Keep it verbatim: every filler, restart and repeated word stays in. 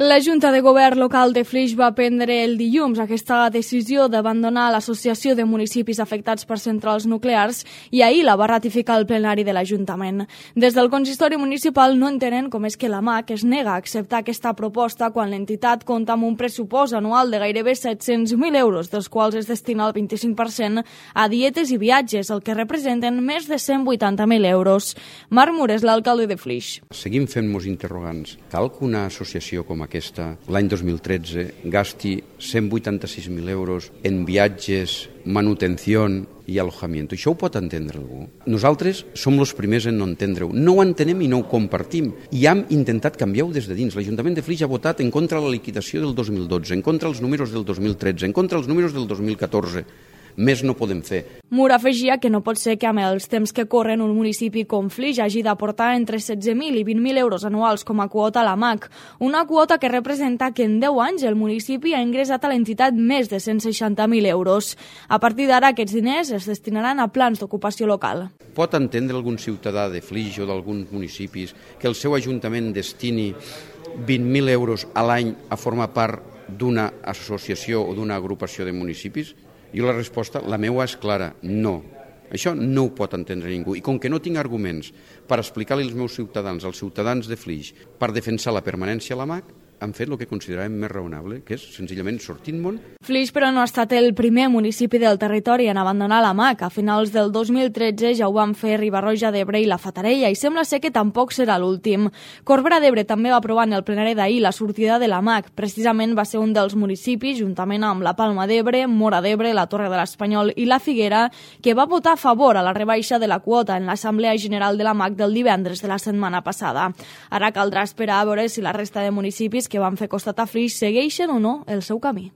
La Junta de Govern local de Flix va prendre el dilluns aquesta decisió d'abandonar l'Associació de Municipis Afectats per Centrals Nuclears i ahir la va ratificar el plenari de l'Ajuntament. Des del consistori municipal no entenen com és que la M A C es nega a acceptar aquesta proposta quan l'entitat compta amb un pressupost anual de gairebé set-cents mil euros, dels quals es destina el vint-i-cinc per cent a dietes i viatges, el que representen més de cent vuitanta mil euros. Marc Mur és l'alcalde de Flix. Seguim fent-nos interrogants. Cal que una associació com aquesta, l'any dos mil tretze, gasti cent vuitanta-sis mil euros en viatges, manutenció i alojament. Això ho pot entendre algú? Nosaltres som els primers en no entendre-ho. No ho entenem i no ho compartim. I hem intentat canviar-ho des de dins. L'Ajuntament de Flix ha votat en contra de la liquidació del dos mil dotze, en contra dels números del dos mil tretze, en contra dels números del dos mil catorze. Més no podem fer. Mur afegia que no pot ser que amb els temps que corren un municipi com Flix hagi d'aportar entre setze mil i vint mil euros anuals com a quota a la M A C, una quota que representa que en deu anys el municipi ha ingressat a l'entitat més de cent seixanta mil euros. A partir d'ara aquests diners es destinaran a plans d'ocupació local. Pot entendre algun ciutadà de Flix o d'alguns municipis que el seu ajuntament destini vint mil euros a l'any a formar part d'una associació o d'una agrupació de municipis? Jo la resposta, la meva és clara, no. Això no ho pot entendre ningú. I com que no tinc arguments per explicar-li als meus ciutadans, als ciutadans de Flix, per defensar la permanència a la M A C, han fet el que consideràvem més raonable, que és senzillament sortir-me'n. Flix, però, no ha estat el primer municipi del territori en abandonar la M A C. A finals del dos mil tretze ja ho van fer Riba-roja d'Ebre i la Fatarella, i sembla ser que tampoc serà l'últim. Corbera d'Ebre també va aprovar en el plenari d'ahir la sortida de la M A C. Precisament va ser un dels municipis, juntament amb la Palma d'Ebre, Móra d'Ebre, la Torre de l'Espanyol i la Figuera, que va votar a favor a la rebaixa de la quota en l'Assemblea General de la M A C del divendres de la setmana passada. Ara caldrà esperar a veure si la resta de municipis que van fer costat a Flix segueixen o no el seu camí.